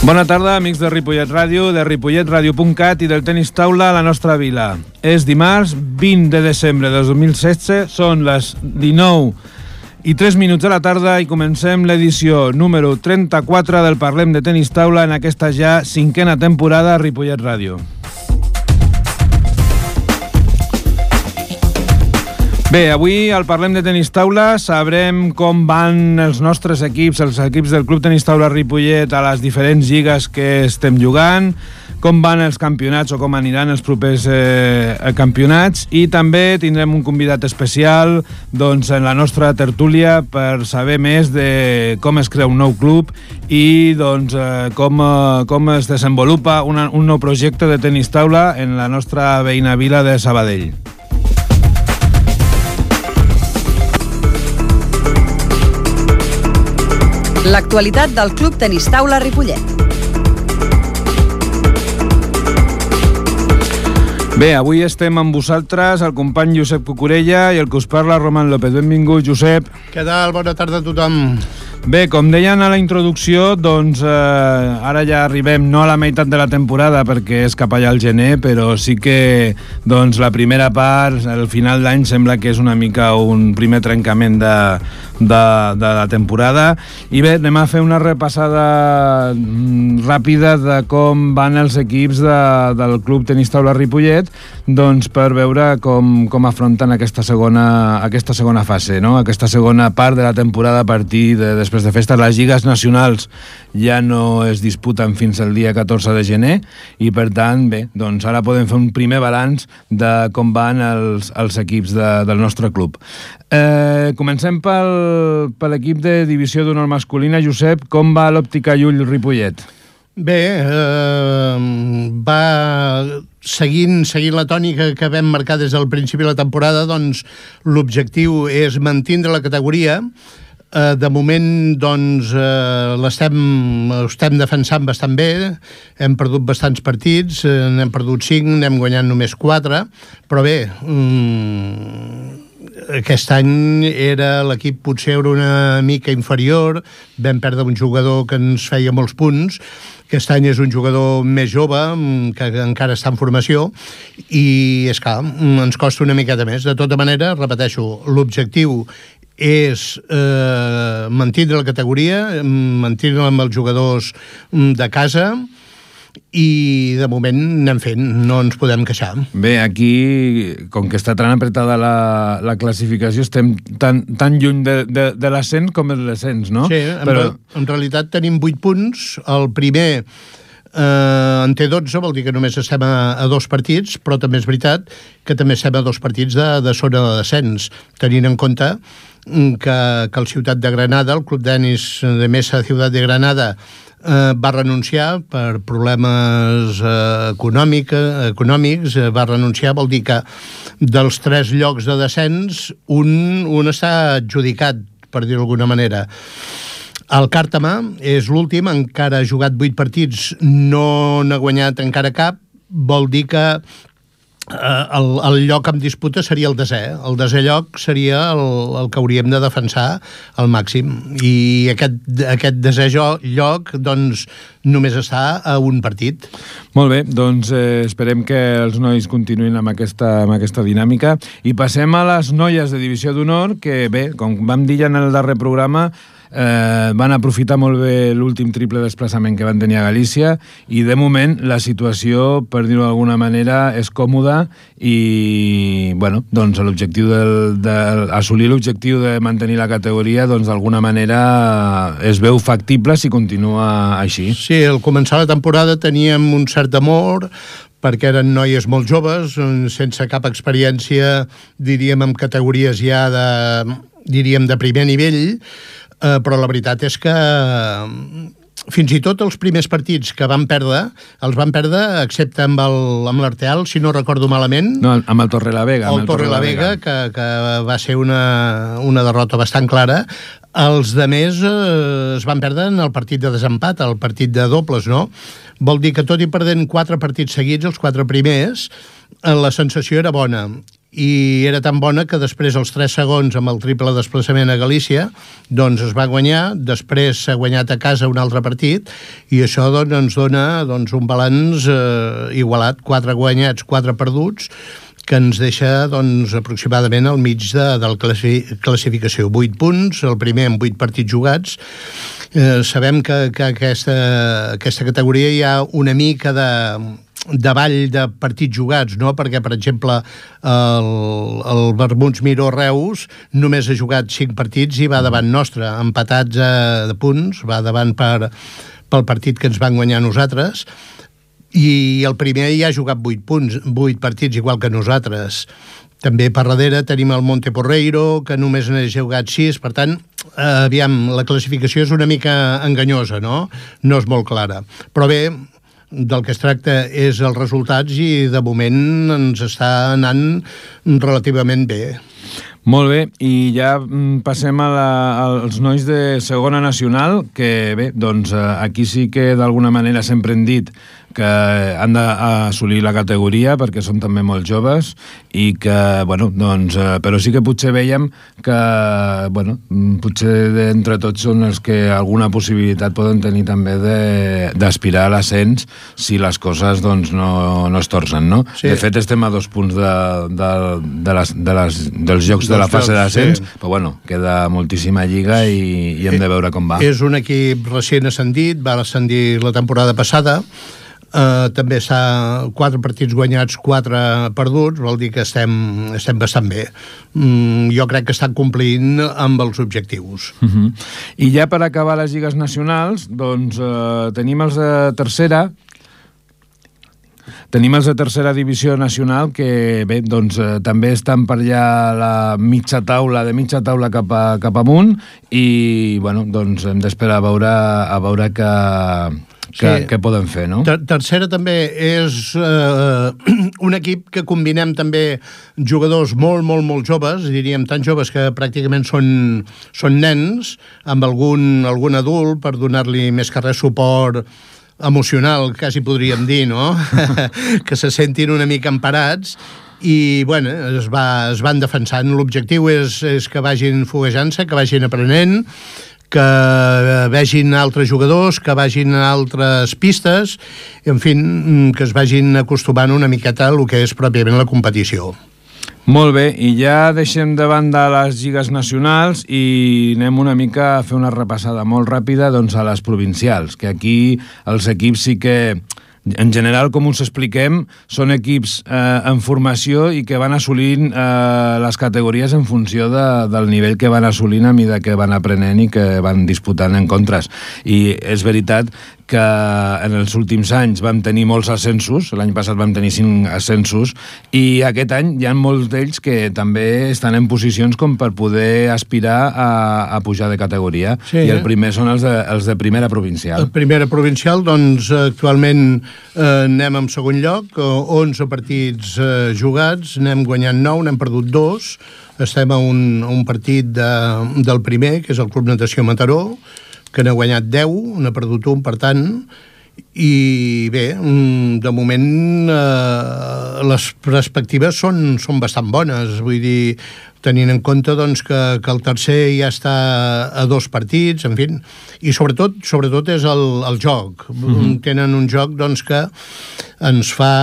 Bona tarda, amics de Ripollet Ràdio, de ripolletradio.cat i del tenis taula a la nostra vila. És dimarts 20 de desembre de 2016, són les 19:03 de la tarda i comencem l'edició número 34 del Parlem de Tenis Taula en aquesta ja 5a temporada a Ripollet Ràdio. Bé, avui al Parlem de Tenis Taula sabrem com van els nostres equips, els equips del Club Tenis Taula Ripollet a les diferents lligues que estem jugant, com van els campionats o com aniran els propers campionats, i també tindrem un convidat especial en la nostra tertúlia per saber més de com es crea un nou club i com es desenvolupa un nou projecte de tenis taula en la nostra veïna vila de Sabadell. L'actualitat del Club Tenis Taula Ripollet. Bé, avui estem amb vosaltres, el company Josep Cucurella i el que us parla, Roman López. Benvingut, Josep. Què tal? Bona tarda a tothom. Bé, com deien a la introducció, ara ja arribem no a la meitat de la temporada perquè és cap allà al gener, però sí que la primera part, al final d'any, sembla que és una mica un primer trencament de la temporada. I bé, anem a fer una repassada ràpida de com van els equips del Club Tenis Taula Ripollet, per veure com afronten aquesta segona fase, no? Aquesta segona part de la temporada a partir de després de festes. Les lligues nacionals ja no es disputen fins al dia 14 de gener i, per tant, bé, ara podem fer un primer balanç de com van els equips del nostre club. Comencem per l'equip de divisió d'honor masculina. Josep, com va l'Òptica Llull Ripollet? Bé, va seguint la tònica que vam marcar des del principi de la temporada. L'objectiu és mantindre la categoria. De moment l'estem defensant bastant bé, hem perdut bastants partits, n'hem perdut 5, n'hem guanyat només 4, però bé, aquest any l'equip potser era una mica inferior, vam perdre un jugador que ens feia molts punts. Aquest any és un jugador més jove, que encara està en formació, i és clar, ens costa una miqueta més. De tota manera, repeteixo, l'objectiu és mantindre la categoria, mantindre amb els jugadors de casa, i de moment anem fent, no ens podem queixar. Bé, aquí, com que està tan apretada la classificació, estem tan lluny de l'ascens com el descens, no? Sí, en realitat tenim 8 punts. El primer en té 12, vol dir que només estem a 2 partits, però també és veritat que també estem a 2 partits de zona de descens, tenint en compte que el Ciutat de Granada, el Club Tenis de Mesa Ciutat de Granada, va renunciar per problemes econòmics, va renunciar, vol dir que dels 3 llocs de descens, un està adjudicat, per dir-ho d'alguna manera. El Càrtama és l'últim, encara ha jugat 8 partits, no n'ha guanyat encara cap, vol dir que el lloc en disputa seria el desè. El desè lloc seria el que hauríem de defensar al màxim. I aquest desè lloc, només està a un partit. Molt bé, esperem que els nois continuïn amb aquesta dinàmica. I passem a les noies de divisió d'honor, que bé, com vam dir ja en el darrer programa, van aprofitar molt bé l'últim triple desplaçament que van tenir a Galícia i de moment la situació, per dir-ho d'alguna manera, és còmoda i l'objectiu assolir l'objectiu de mantenir la categoria d'alguna manera es veu factible si continua així. Sí, al començar la temporada teníem un cert amor perquè eren noies molt joves, sense cap experiència, diríem, en categories ja de primer nivell, però la veritat és que fins i tot els primers partits que van perdre, els van perdre, excepte amb l'Arteal, si no recordo malament. No, amb el Torrelavega. El Torrelavega, que va ser una derrota bastant clara. Els de més es van perdre en el partit de desempat, el partit de dobles, no? Vol dir que tot i perdent 4 partits seguits, els 4 primers, la sensació era bona. i era tan bona que després els 3 segons amb el triple desplaçament a Galícia doncs es va guanyar, després s'ha guanyat a casa un altre partit i això doncs, ens dona un balanç igualat, 4 guanyats, 4 perduts, que ens deixa doncs, aproximadament al mig de la classificació. 8 punts, el primer amb 8 partits jugats. Sabem que aquesta categoria hi ha una mica de ball de partits jugats, no? Perquè, per exemple, el Vermuts Miró Reus només ha jugat 5 partits i va davant nostre, empatats de punts, va davant pel partit que ens van guanyar nosaltres, i el primer ja ha jugat 8 partits, igual que nosaltres. També per darrere tenim el Monte Porreiro, que només n'ha jugat 6, per tant, aviam, la classificació és una mica enganyosa, no? No és molt clara. Però bé, del que es tracta és els resultats i de moment ens està anant relativament bé. Molt bé, i ja passem als nois de segona nacional, que bé, doncs aquí sí que d'alguna manera sempre hem dit que han d'assolir la categoria perquè són també molt joves i que, bueno, doncs, però sí que potser veiem que, bueno, potser d'entre tots són els que alguna possibilitat poden tenir també d'aspirar a l'ascens si les coses, doncs, no es torcen, no? Sí. De fet, estem a 2 punts dels jocs de la fase d'ascens, sí. Però, bueno, queda moltíssima lliga i hem de veure com va. És un equip recient ascendit, va ascendir la temporada passada, també està 4 partits guanyats, 4 perduts, vol dir que estem bastant bé. Jo crec que estan complint amb els objectius. I ja per acabar les lligues nacionals, doncs tenim els de tercera. Tenim els de tercera divisió nacional que, bé, doncs també estan per allà la mitja taula cap amunt i, bueno, doncs hem d'esperar a veure què poden fer, no? Tercera també és un equip que combinem també jugadors molt joves, diríem tan joves que pràcticament són nens, amb algun adult per donar-li més que res suport emocional, quasi podríem dir, no? Que se sentin una mica emparats i, bueno, es van defensant. L'objectiu és que vagin foguejant-se, que vagin aprenent, que vegin altres jugadors, que vagin a altres pistes, i, en fi, que es vagin acostumant una miqueta a el que és pròpiament la competició. Molt bé, i ja deixem de banda les lligues nacionals i anem una mica a fer una repassada molt ràpida doncs, a les provincials, que aquí els equips sí que, en general, com us expliquem, són equips en formació i que van assolint les categories en funció del nivell que van assolint a mesura que van aprenent i que van disputant encontres. I és veritat que en els últims anys vam tenir molts ascensos, l'any passat vam tenir 5 ascensos, i aquest any hi ha molts d'ells que també estan en posicions com per poder aspirar a pujar de categoria. Sí, i el primer són els de primera provincial. El primera provincial, doncs, actualment anem en segon lloc, 11 partits jugats, n'hem guanyat 9, n'hem perdut 2, estem a un partit del primer, que és el Club Natació Mataró, que n'ha guanyat 10, n'ha perdut 1, per tant, i bé, de moment les perspectives són bastant bones, vull dir, tenint en compte doncs, que el tercer ja està a 2 partits, en fi, i sobretot és el joc. Tenen un joc doncs, que ens fa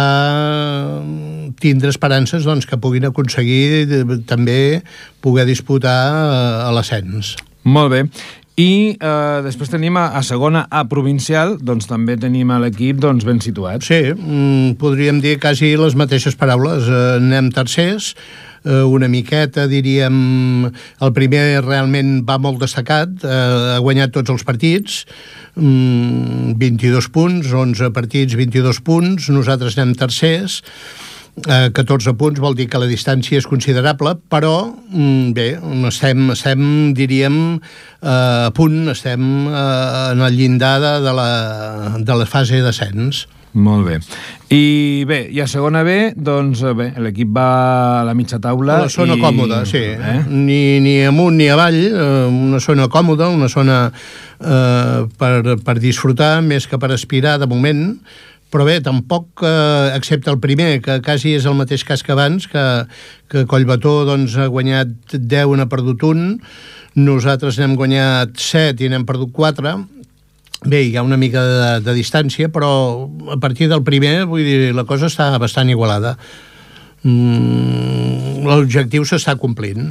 tindre esperances doncs, que puguin aconseguir també poder disputar a l'ascens. Molt bé. I després tenim a segona A provincial, doncs també tenim l'equip doncs, ben situat. Sí, podríem dir quasi les mateixes paraules. Anem tercers, una miqueta, diríem, el primer realment va molt destacat, ha guanyat tots els partits, 22 punts, 11 partits, 22 punts, nosaltres anem tercers, 14 punts, vol dir que la distància és considerable, però bé, estem diríem, a punt, estem en el llindar de la fase d'ascens. Molt bé. I bé, i a segona B, doncs bé, l'equip va a la mitja taula. A la zona còmoda, sí. Ni amunt ni avall, una zona còmoda, una zona per disfrutar, més que per aspirar de moment, però bé, tampoc, excepte el primer, que quasi és el mateix cas que abans, que Collbató doncs, ha guanyat 10 i n'ha perdut 1, nosaltres n'hem guanyat 7 i n'hem perdut 4. Bé, hi ha una mica de distància, però a partir del primer, vull dir, la cosa està bastant igualada. L'objectiu s'està complint.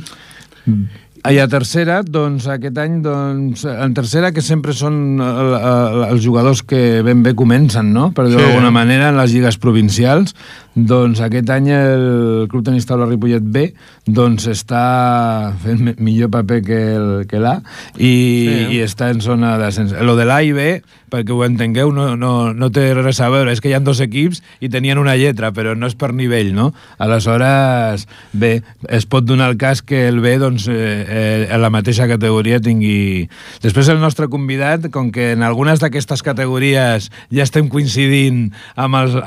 I a tercera, doncs, aquest any, doncs, en tercera, que sempre són els jugadors que ben bé comencen, no?, per dir-ho d'alguna manera, en les lligues provincials, doncs aquest any el Club Tenis Taula Ripollet B doncs està fent millor paper que l'A i està en zona d'ascens. Lo de l'A i B, perquè ho entengueu, no té res a veure, és que hi ha 2 equips i tenien una lletra, però no és per nivell, no? Aleshores, bé, es pot donar el cas que el B, doncs, en la mateixa categoria tingui... Després el nostre convidat, com que en algunes d'aquestes categories ja estem coincidint amb els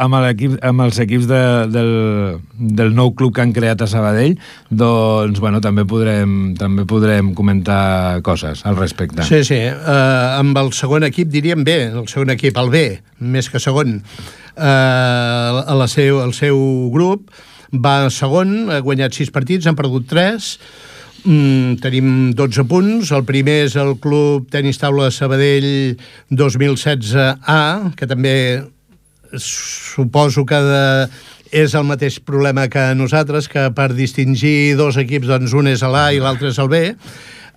equips del nou club que han creat a Sabadell, doncs, bueno, també podrem comentar coses al respecte. Sí, sí. Amb el segon equip diríem bé, el segon equip, el B, més que segon. El seu grup va segon, ha guanyat 6 partits, han perdut 3, tenim 12 punts. El primer és el Club Tenis Taula Sabadell 2016A, que també suposo que és el mateix problema que nosaltres, que per distingir 2 equips, doncs un és l'A i l'altre és el B.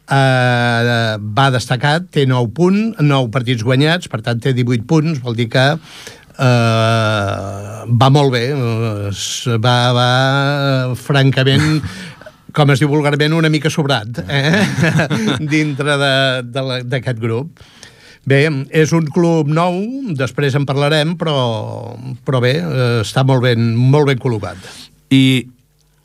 Va destacat, té 9 partits guanyats, per tant té 18 punts, vol dir que va molt bé, va francament, com es diu vulgarment, una mica sobrat dintre d'aquest grup. Bé, és un club nou, després en parlarem, però bé, està molt ben col·locat. I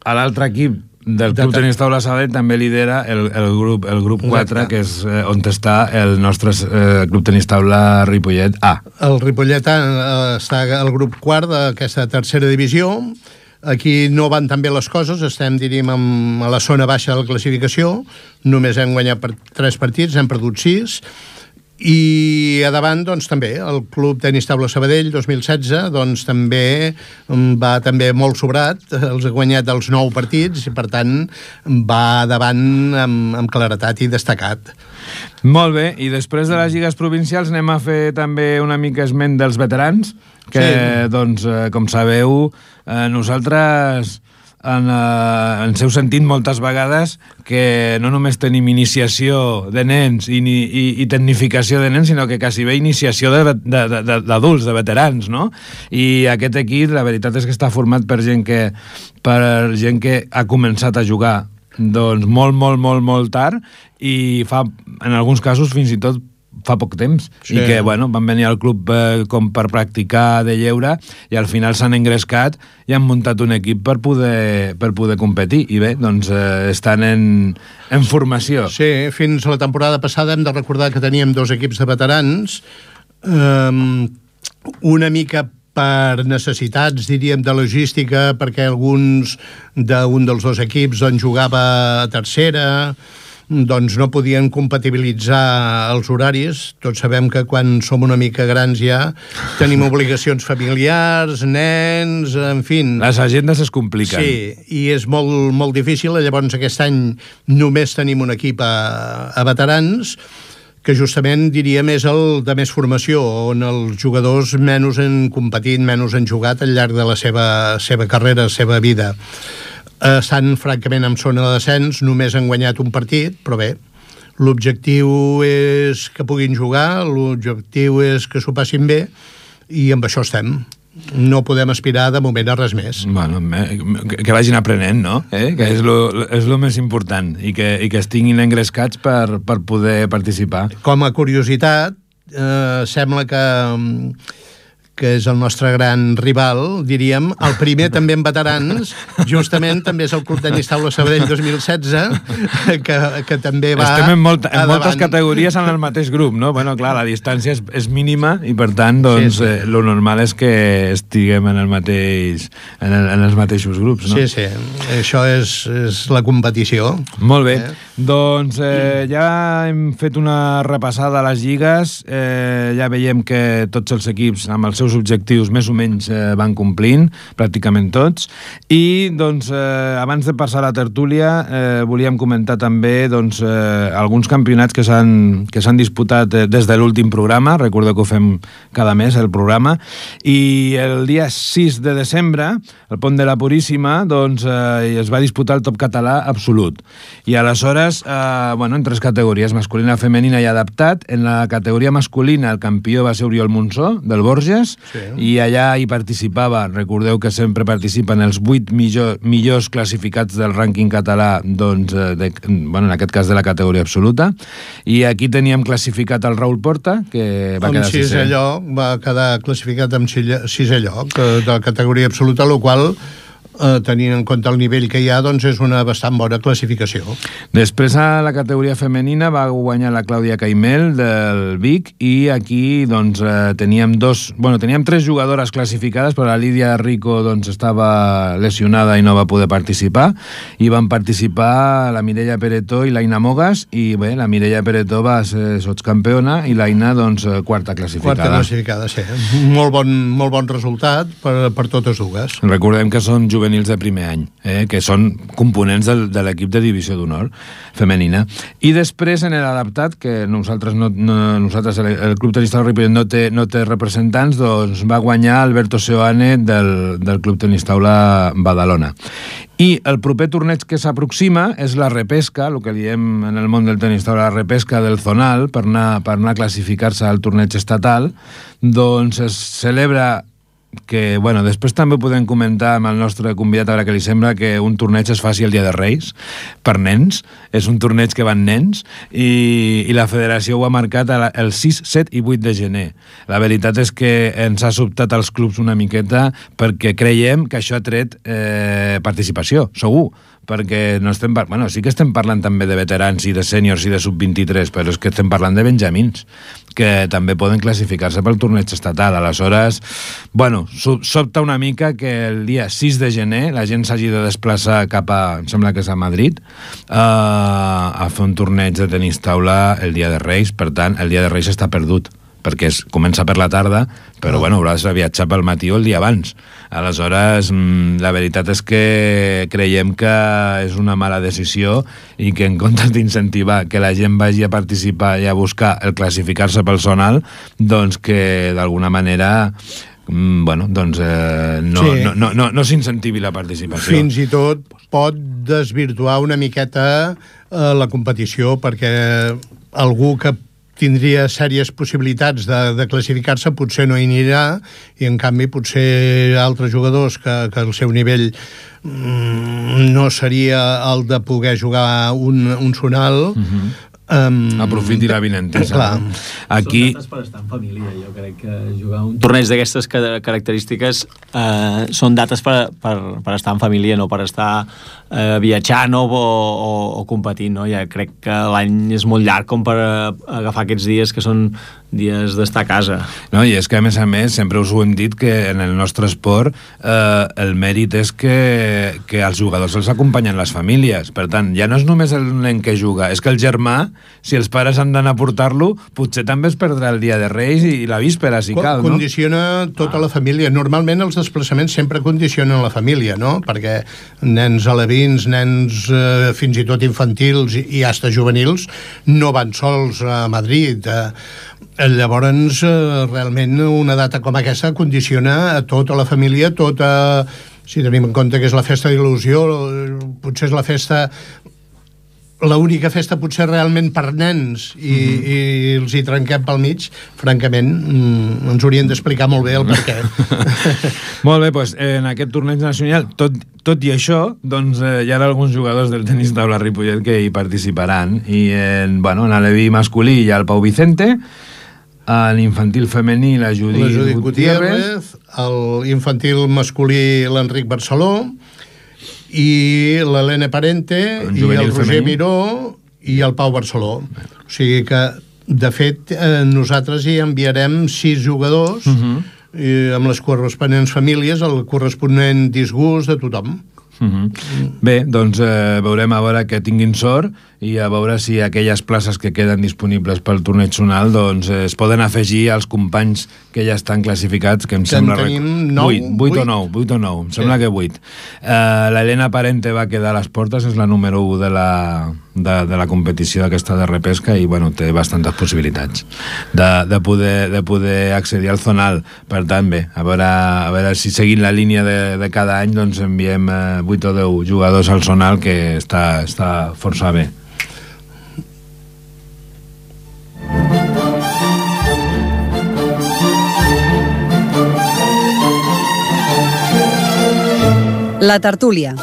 a l'altre equip del Club Tenis Taula Sabadell també lidera el grup 4, que és on està el nostre Club Tenis Taula Ripollet A. El Ripollet A està al grup 4 d'aquesta tercera divisió. Aquí no van tan bé les coses, estem, diríem, a la zona baixa de la classificació. Només hem guanyat 3 partits, hem perdut 6. I a davant, doncs, també, el Club Tenis Taula Sabadell 2016, doncs, també va molt sobrat, els ha guanyat els 9 partits i, per tant, va davant amb claretat i destacat. Molt bé, i després de les lligues provincials anem a fer també una mica esment dels veterans, que, doncs, com sabeu, nosaltres... ens heu sentit moltes vegades que no només tenim iniciació de nens i tecnificació de nens, sinó que quasi bé iniciació d'adults, de veterans, no? I aquest equip, la veritat és que està format per gent que ha començat a jugar doncs molt tard i fa, en alguns casos, fins i tot fa poc temps, i que, bueno, van venir al club com per practicar de lleure i al final s'han engrescat i han muntat un equip per poder competir. I bé, doncs estan en formació. Sí, fins a la temporada passada hem de recordar que teníem 2 equips de veterans, una mica per necessitats, diríem, de logística, perquè alguns d'un dels 2 equips doncs, jugava a tercera, doncs no podien compatibilitzar els horaris. Tots sabem que quan som una mica grans ja tenim obligacions familiars, nens, en fi. Les agendes es compliquen. Sí, i és molt difícil. Llavors aquest any només tenim un equip a veterans, que justament, diríem, és el de més formació, on els jugadors menys han competit, menys han jugat al llarg de la seva carrera, la seva vida. Estan francament en zona de descens, només han guanyat un partit, però bé, l'objectiu és que puguin jugar, l'objectiu és que s'ho passin bé, i amb això estem. No podem aspirar de moment a res més. Bueno, que vagin aprenent, no? Que és lo més important, i que estiguin engrescats per poder participar. Com a curiositat, sembla que és el nostre gran rival, diríem. El primer també en veterans, justament també és el Club Tenis Taula Sabadell 2016, que també va... Estem en moltes categories en el mateix grup, no? Bueno, clar, la distància és mínima i, per tant, doncs, lo normal és que estiguem en els mateixos grups, no? Sí, sí. Això és la competició. Molt bé. Doncs ja hem fet una repassada a les lligues. Ja veiem que tots els equips, amb els seus seus objectius més o menys van complint, pràcticament tots, i doncs, abans de passar a la tertúlia volíem comentar també doncs, alguns campionats que s'han disputat des de l'últim programa. Recordeu que ho fem cada mes, el programa, i el dia 6 de desembre, al Pont de la Puríssima, doncs, es va disputar el top català absolut. I aleshores, en 3 categories, masculina, femenina i adaptat. En la categoria masculina el campió va ser Oriol Monsó, del Borges, i allà hi participava, recordeu que sempre participen els 8 millors classificats del rànquing català, doncs, en aquest cas de la categoria absoluta, i aquí teníem classificat el Raül Porta, que va quedar sisè. Va quedar classificat amb sisè lloc de la categoria absoluta, el qual, tenint en compte el nivell que hi ha, doncs és una bastant bona classificació. Després, a la categoria femenina va guanyar la Clàudia Caimel del Vic, i aquí doncs, teníem 3 jugadores classificades, però la Lídia Rico doncs, estava lesionada i no va poder participar, i van participar la Mireia Peretó i l'Aina Mogas, i bé, la Mireia Peretó va ser sotscampiona i l'Aina doncs, quarta classificada. Quarta classificada, sí. Molt bon resultat per totes dues. Recordem que són juvenils de primer any, que són components de l'equip de divisió d'honor femenina. I després, en l'adaptat, que nosaltres el Club Tenis Taula Ripollet no té representants, doncs va guanyar Alberto Seoane del Club Tenis Taula Badalona. I el proper torneig que s'aproxima és la repesca, el que diem en el món del tenis taula, la repesca del zonal, per anar a classificar-se al torneig estatal. Doncs es celebra que, després també podem comentar amb el nostre convidat, a veure què li sembla, que un torneig es faci el Dia de Reis per nens. És un torneig que van nens, i la federació ho ha marcat el 6, 7 i 8 de gener. La veritat és que ens ha sobtat als clubs una miqueta, perquè creiem que això ha tret participació, segur, perquè no estem sí que estem parlant també de veterans i de sèniors i de sub-23, però és que estem parlant de benjamins, que també poden classificar-se pel torneig estatal. Aleshores, sobta una mica que el dia 6 de gener la gent s'hagi de desplaçar cap a, em sembla que és a Madrid, a fer un torneig de tenis taula el dia de Reis. Per tant, el dia de Reis està perdut, perquè comença per la tarda, però hauràs de viatjar pel matí o el dia abans. Aleshores, la veritat és que creiem que és una mala decisió, i que en comptes d'incentivar que la gent vagi a participar i a buscar el classificar-se pel zonal, doncs que d'alguna manera no s'incentivi la participació. Fins i tot pot desvirtuar una miqueta la competició, perquè algú que tindria sèries possibilitats de classificar-se potser no hi anirà, i en canvi potser altres jugadors que el seu nivell no seria el de poder jugar un zonal, aprofiti la vinentesa. Aquí... Són dates per estar en família. Jo crec que jugar un torneig d'aquestes característiques són dates per estar en família, no per estar viatjant o competint, no? Ja crec que l'any és molt llarg com per agafar aquests dies que són dies d'estar a casa. No, i és que, a més, sempre us ho hem dit, que en el nostre esport el mèrit és que als jugadors els acompanyen les famílies. Per tant, ja no és només el nen que juga, és que el germà, si els pares han d'anar a portar-lo, potser també es perdrà el dia de Reis i la víspera, si cal, no? Condiciona tota la família. Normalment els desplaçaments sempre condicionen la família, no? Perquè nens alevins, nens fins i tot infantils i hasta juvenils no van sols a Madrid. Llavors, realment, una data com aquesta condiciona a tota la família, si tenim en compte que és la festa d'il·lusió, potser és la festa, l'única festa potser realment per nens, i els hi trenquem pel mig. Francament, ens haurien d'explicar molt bé el per què. Molt bé, doncs en aquest torneig nacional, tot i això, doncs hi ha alguns jugadors del tenis taula Ripollet que hi participaran, i en l'aleví masculí hi ha el Pau Vicente, a l'infantil femení la Judit Gutiérrez, a l'infantil masculí l'Enric Barceló, i l'Helene Parente, i el Roger Miró, i el Pau Barceló. O sigui que, de fet, nosaltres hi enviarem 6 jugadors, amb les corresponents famílies, el corresponent disgust de tothom. Bé, doncs veurem a veure que tinguin sort i a veure si aquelles places que queden disponibles pel torneig zonal doncs es poden afegir als companys que ja estan classificats, que em sembla... tenim 8 o 9, em sembla que 8. L'Helena Parente va quedar a les portes, és la número 1 de la competició d'aquesta de repesca i bueno, té bastantes possibilitats de poder accedir al zonal. Per tant, bé, a veure si seguint la línia de cada any doncs enviem 8 o 10 jugadors al zonal, que està força bé. La tertúlia.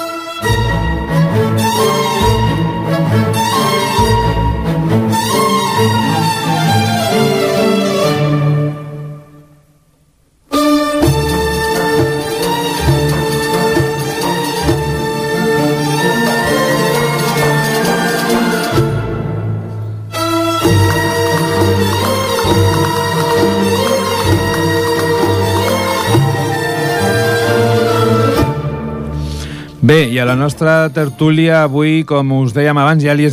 Bé, i a la nostra tertúlia avui, com us dèiem abans, ja li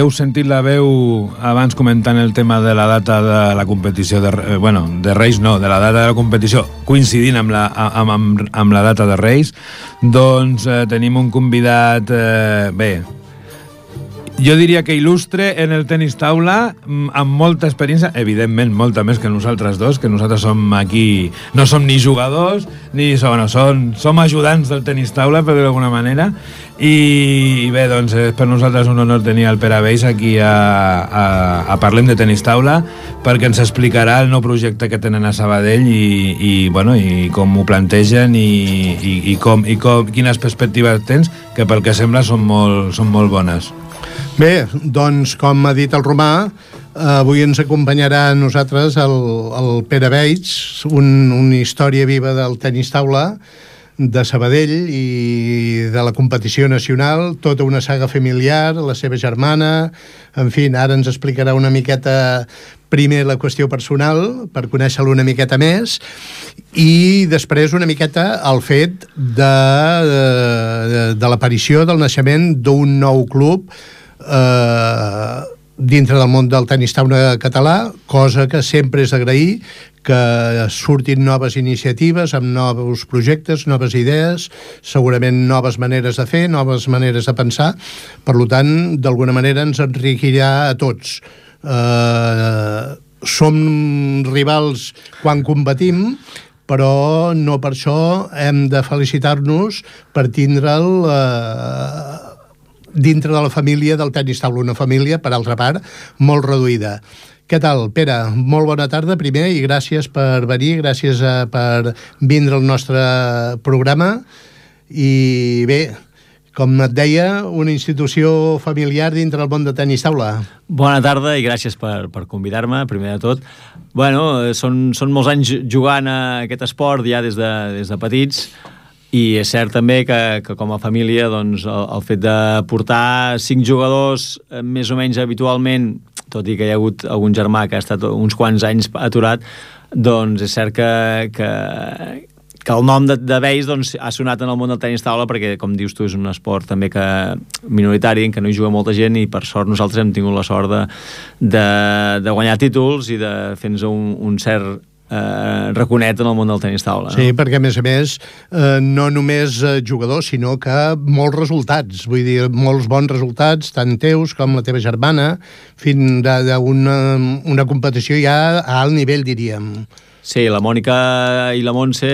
heu sentit la veu abans comentant el tema de la data de la competició, de Reis no, de la data de la competició coincidint amb la data de Reis. Doncs tenim un convidat, jo diria que il·lustre en el tenis taula, amb molta experiència, evidentment molta més que nosaltres dos, que nosaltres som aquí, no som ni jugadors, som ajudants del tenis taula, per dir d'alguna manera, i bé, doncs és per nosaltres un honor tenir el Pere Veis aquí a Parlem de Tenis Taula, perquè ens explicarà el nou projecte que tenen a Sabadell i com ho plantegen i quines perspectives tens, que pel que sembla són molt bones. Bé, doncs, com ha dit el Romà, avui ens acompanyarà a nosaltres el Pere Veig, una història viva del tenis taula de Sabadell i de la competició nacional, tota una saga familiar, la seva germana, en fi, ara ens explicarà una miqueta primer la qüestió personal, per conèixer-lo una miqueta més, i després una miqueta el fet de l'aparició, del naixement d'un nou club dintre del món del tenis taula català, cosa que sempre és d'agrair, que surtin noves iniciatives amb nous projectes, noves idees, segurament noves maneres de fer, noves maneres de pensar. Per tant, d'alguna manera ens enriquirà a tots. Som rivals quan combatim, però no per això hem de felicitar-nos per tindre'l dintre de la família del tenis taula, una família, per altra part, molt reduïda. Què tal, Pere? Molt bona tarda, primer, i gràcies per venir, gràcies per vindre al nostre programa. I bé, com et deia, una institució familiar dintre del món de tenis taula. Bona tarda i gràcies per convidar-me, primer de tot. Bueno, són molts anys jugant a aquest esport ja des de petits, i és cert també que com a família doncs, el fet de portar 5 jugadors més o menys habitualment, tot i que hi ha hagut algun germà que ha estat uns quants anys aturat, doncs és cert que el nom de Veis doncs, ha sonat en el món del tenis taula, perquè, com dius tu, és un esport també que minoritari, en què no hi juga molta gent, i per sort nosaltres hem tingut la sort de guanyar títols i de fer-nos un cert raconet en el món del tenis taula. No? Sí, perquè a més, no només jugadors, sinó que molts resultats, vull dir, molts bons resultats, tant teus com la teva germana, fins a una competició ja a alt nivell, diríem. Sí, la Mònica i la Montse,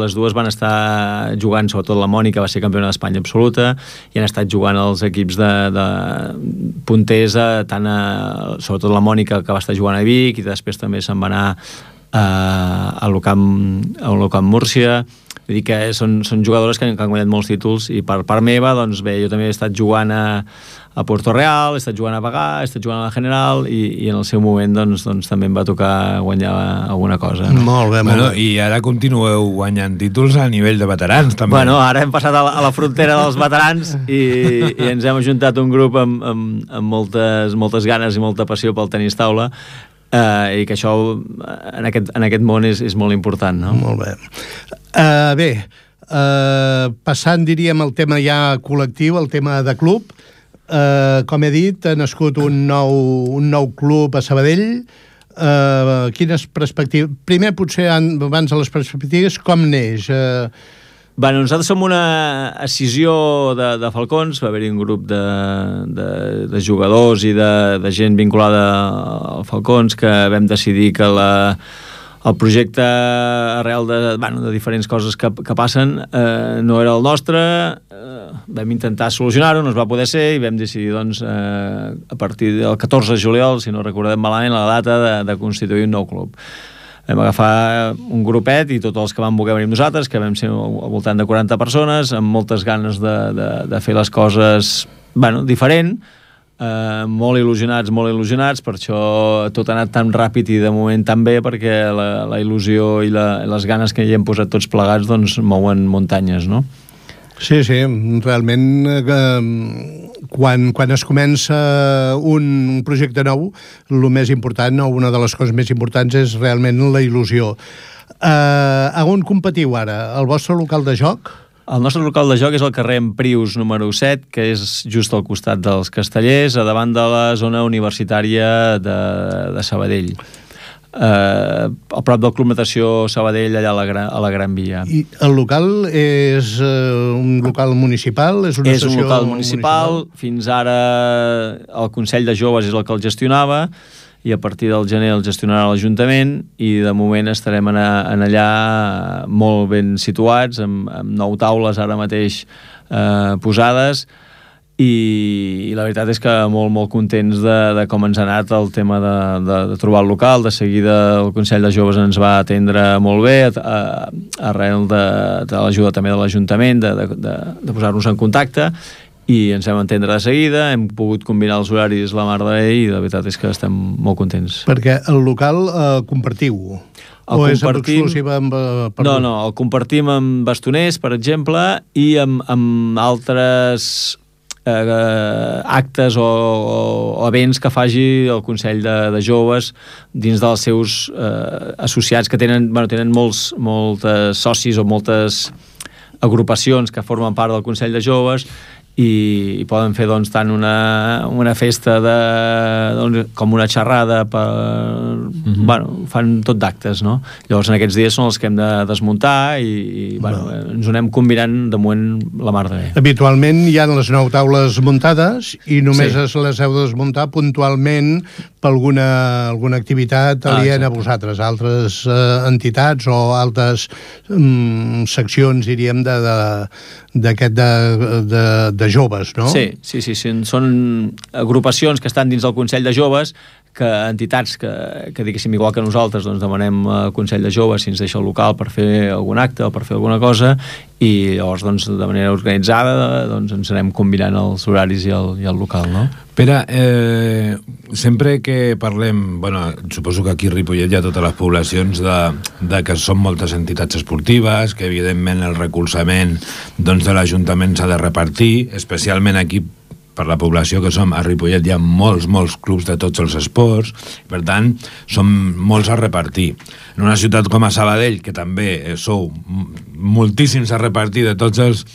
les dues van estar jugant, sobretot la Mònica va ser campiona d'Espanya absoluta, i han estat jugant als equips de punters, sobretot la Mònica, que va estar jugant a Vic, i després també se'n va anar a l'Ocamp Múrcia. Vull dir que són jugadores que han guanyat molts títols, i per part meva, doncs bé, jo també he estat jugant a Puerto Real, he estat jugant a Bagà, he estat jugant a la General, i en el seu moment doncs també em va tocar guanyar alguna cosa. No? Molt bé, molt bé. I ara continueu guanyant títols a nivell de veterans, també. Bueno, ara hem passat a la frontera dels veterans i ens hem ajuntat un grup amb moltes ganes i molta passió pel tenis taula, i que això en aquest món és molt important, no? Molt bé. Bé, Passant, diríem, el tema ja col·lectiu, el tema de club, com he dit, ha nascut un nou club a Sabadell. Quines perspectives... Primer, potser, abans de les perspectives, com neix? Bueno, nosaltres som una escissió de Falcons, va haver-hi un grup de jugadors i de gent vinculada al Falcons que vam decidir que el projecte arrel de diferents coses que passen no era el nostre, vam intentar solucionar-ho, no es va poder ser i vam decidir doncs, a partir del 14 de juliol, si no recordem malament, la data de constituir un nou club. Vam agafar un grupet i tots els que vam voler venir amb nosaltres, que vam ser al voltant de 40 persones, amb moltes ganes de fer les coses diferent, molt il·lusionats, per això tot ha anat tan ràpid i de moment tan bé, perquè la il·lusió i les ganes que hi hem posat tots plegats doncs mouen muntanyes, no? Sí, realment quan es comença un projecte nou, el més important, o una de les coses més importants, és realment la il·lusió. A on competiu ara? El vostre local de joc? El nostre local de joc és el carrer Emprius número 7, que és just al costat dels Castellers, a davant de la zona universitària de Sabadell. A prop del Club Natació Sabadell, allà a la Gran Via. I el local és un local municipal? És un local municipal. Fins ara el Consell de Joves és el que el gestionava i a partir del gener el gestionarà l'Ajuntament i de moment estarem en allà molt ben situats, amb 9 taules ara mateix posades, i la veritat és que molt contents de com ens ha anat el tema de trobar el local. De seguida el Consell de Joves ens va atendre molt bé, arrel de l'ajuda també de l'Ajuntament, de posar-nos en contacte, i ens vam entendre de seguida, hem pogut combinar els horaris la mar de bé i la veritat és que estem molt contents. Perquè el local compartiu? O és exclusiva amb... No, el compartim amb bastoners, per exemple, i amb altres actes o events que faci el Consell de Joves dins dels seus associats que tenen molts socis o moltes agrupacions que formen part del Consell de Joves i poden fer doncs tant una festa com una xerrada fan tot d'actes, no? Llavors en aquests dies són els que hem de desmuntar i ens ho anem combinant de moment la mar de bé. Habitualment hi ha les 9 taules muntades i només les heu de desmuntar puntualment per alguna activitat aliena a vosaltres, altres entitats o altres seccions, diríem, de joves, no? Sí, són agrupacions que estan dins del Consell de Joves, que entitats que diguéssim igual que nosaltres doncs demanem al Consell de Joves si ens deixa el local per fer algun acte o per fer alguna cosa i llavors doncs de manera organitzada doncs ens anem combinant els horaris i el local, no? Pere, sempre que parlem, suposo que aquí a Ripollet hi ha totes les poblacions de que són moltes entitats esportives, que evidentment el recolzament doncs, de l'Ajuntament s'ha de repartir, especialment aquí per la població que som, a Ripollet hi ha molts clubs de tots els esports, per tant, són molts a repartir. En una ciutat com a Sabadell, que també sou moltíssims a repartir de tots els...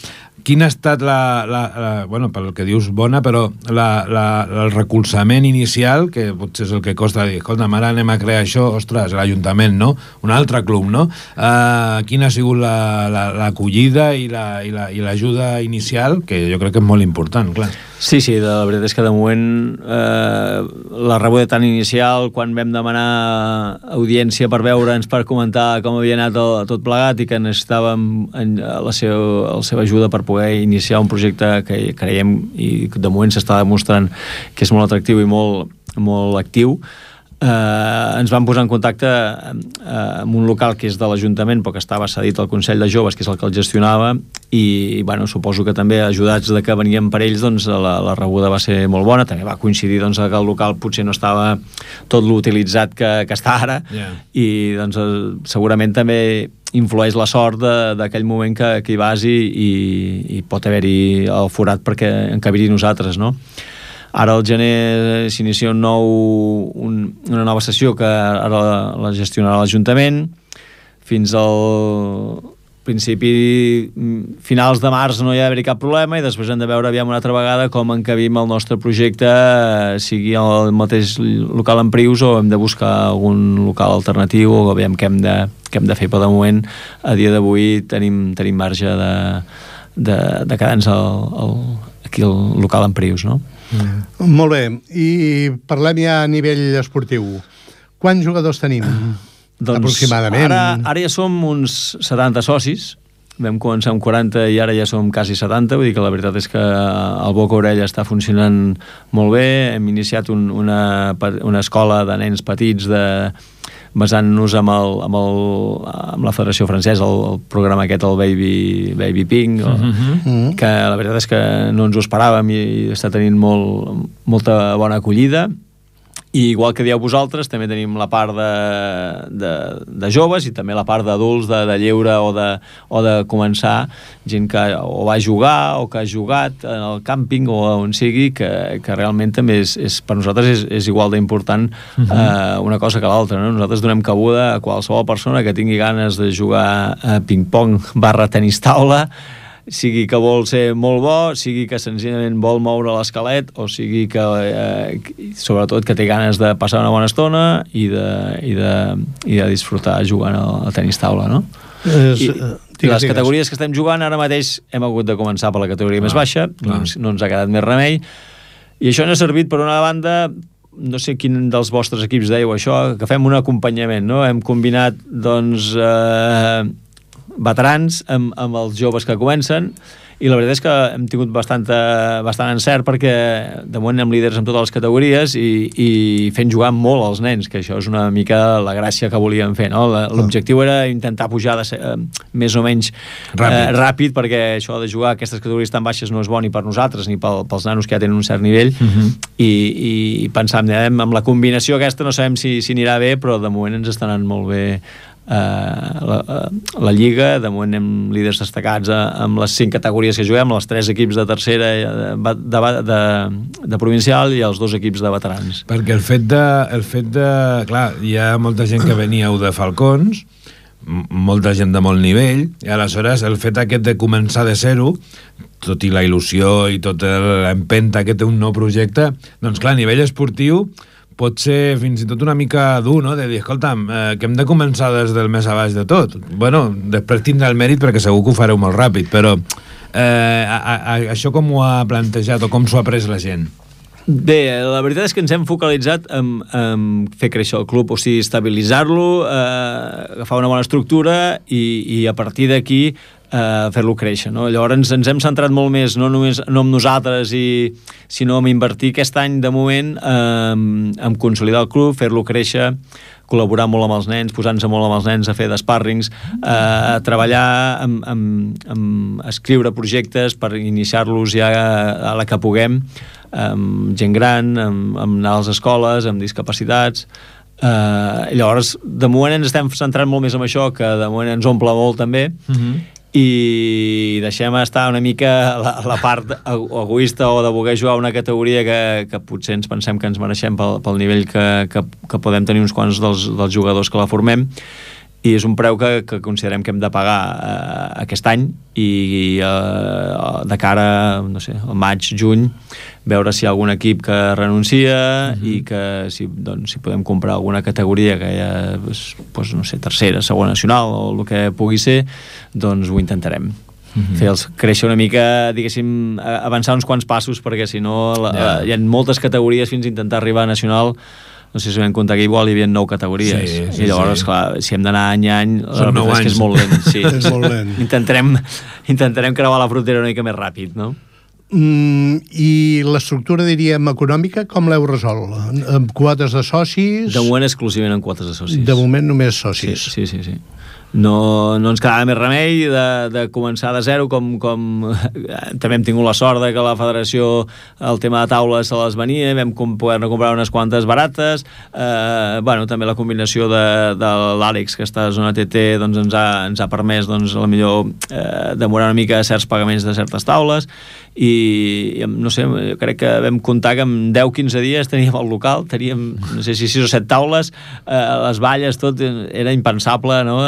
Quina ha estat pel que dius bona, però el recolzament inicial, que potser és el que costa dir, escolta, ara anem a crear això, ostres, l'Ajuntament, no? Un altre club, no? Quina ha sigut l'acollida i l'ajuda inicial, que jo crec que és molt important, clar. Sí, la veritat és que de moment la rebuda tan inicial, quan vam demanar audiència per veure'ns, per comentar com havia anat tot plegat i que necessitàvem la seva ajuda per poder iniciar un projecte que creiem i de moment s'està demostrant que és molt atractiu i molt actiu, ens vam posar en contacte amb un local que és de l'Ajuntament però que estava cedit al Consell de Joves, que és el que el gestionava, i suposo que també ajudats de que veníem per ells doncs la rebuda va ser molt bona. També va coincidir doncs, que el local potser no estava tot l'utilitzat que està ara, i doncs segurament també influeix la sort d'aquell moment que hi vas i pot haver-hi el forat perquè encabir-hi nosaltres, no? Ara al gener s'inicia una nova sessió que ara la gestionarà l'Ajuntament fins al principi, finals de març no hi ha d'haver cap problema, i després hem de veure aviam una altra vegada com encabim el nostre projecte, sigui el mateix local en Prius o hem de buscar algun local alternatiu, o aviam què hem de fer. Però de moment, a dia d'avui, tenim marge de quedar-nos aquí al local en Prius, no? Molt bé, i parlem ja a nivell esportiu. Quants jugadors tenim? Doncs aproximadament. Ara ja som uns 70 socis, vam començar amb 40 i ara ja som quasi 70, vull dir que la veritat és que el Boca Orella està funcionant molt bé. Hem iniciat una escola de nens petits basant-nos amb la Federació Francesa, el programa aquest, el Baby Pink, que la veritat és que no ens ho esperàvem i està tenint molta bona acollida. I igual que dieu vosaltres, també tenim la part de joves i també la part d'adults, de lleure o de començar, gent que o va jugar o que ha jugat en el càmping o on sigui, que realment també per nosaltres és igual d'important una cosa que l'altra, no? Nosaltres donem cabuda a qualsevol persona que tingui ganes de jugar a ping-pong / tenis taula, sigui que vol ser molt bo, sigui que senzillament vol moure l'esquelet, o sigui que sobretot que té ganes de passar una bona estona i de disfrutar jugant al tenis taula, no? I les categories que estem jugant ara mateix hem hagut de començar per la categoria més baixa, no ens ha quedat més remei, i això ens ha servit per una banda. No sé quin dels vostres equips dèieu això, que fem un acompanyament, no? Hem combinat, doncs, veterans amb els joves que comencen, i la veritat és que hem tingut bastant encert, perquè de moment anem líders en totes les categories i fent jugar molt als nens, que això és una mica la gràcia que volíem fer, no? L'objectiu era intentar pujar més o menys ràpid, perquè això de jugar a aquestes categories tan baixes no és bo ni per nosaltres ni pels nanos que ja tenen un cert nivell, i pensàvem amb la combinació aquesta, no sabem si anirà bé, però de moment ens està anant molt bé la Lliga. De moment anem líders destacats amb les 5 categories que juguem, els 3 equips de tercera de provincial i els 2 equips de veterans. Perquè el fet de clar, hi ha molta gent que veníeu de Falcons, molta gent de molt nivell, i aleshores el fet aquest de començar de zero, tot i la il·lusió i tota l'empenta que té un nou projecte, doncs clar, a nivell esportiu pot ser fins i tot una mica dur, no? De dir, escolta'm, que hem de començar des del més a baix de tot. Bueno, després tindrà el mèrit perquè segur que ho fareu molt ràpid, però això com ho ha plantejat o com s'ho ha pres la gent? Bé, la veritat és que ens hem focalitzat en fer créixer el club, o sigui, estabilitzar-lo, agafar una bona estructura i a partir d'aquí fer-lo créixer, no? Llavors ens hem centrat molt més no en nosaltres, sinó en invertir aquest any de moment en consolidar el club, fer-lo créixer, col·laborar molt amb els nens, posar-nos molt amb els nens a fer d'espàrrings, treballar amb escriure projectes per iniciar-los ja a la que puguem, amb gent gran, amb anar a les escoles, amb discapacitats. Llavors, de moment ens estem centrant molt més en això, que de moment ens omple molt també, i deixem estar una mica la part egoista o de voler jugar una categoria que potser ens pensem que ens mereixem pel nivell que podem tenir uns quants dels jugadors que la formem, i és un preu que considerem que hem de pagar aquest any, i de cara, no sé, al maig, juny, veure si hi ha algun equip que renuncia i que si podem comprar alguna categoria que hi ha, doncs, no sé, tercera, segona nacional o el que pugui ser, doncs ho intentarem. Fer-los créixer una mica, diguéssim, avançar uns quants passos, perquè si no hi ha moltes categories fins a intentar arribar a nacional. No sé si vam comptar que igual hi havia 9 categories, i llavors, clar, si hem d'anar any a any, la veritat és que és molt lent. Sí. És molt lent. Intentarem creuar la frontera una mica més ràpid, no? I l'estructura, diríem, econòmica, com l'heu resolt? Amb quotes de socis? De moment exclusivament amb quotes de socis. De moment només socis. Sí. No ens quedava més remei de començar de zero, com també hem tingut la sort de que la federació, el tema de taules se les venia, vam poder-ne comprar unes quantes barates, també la combinació de l'Àlex, que està a zona TT, doncs ens ha permès, doncs, a la millor demorar una mica certs pagaments de certes taules, i no sé, crec que vam comptar que en 10-15 dies teníem el local, teníem, no sé si 6 o 7 taules, les valles, tot era impensable, no?,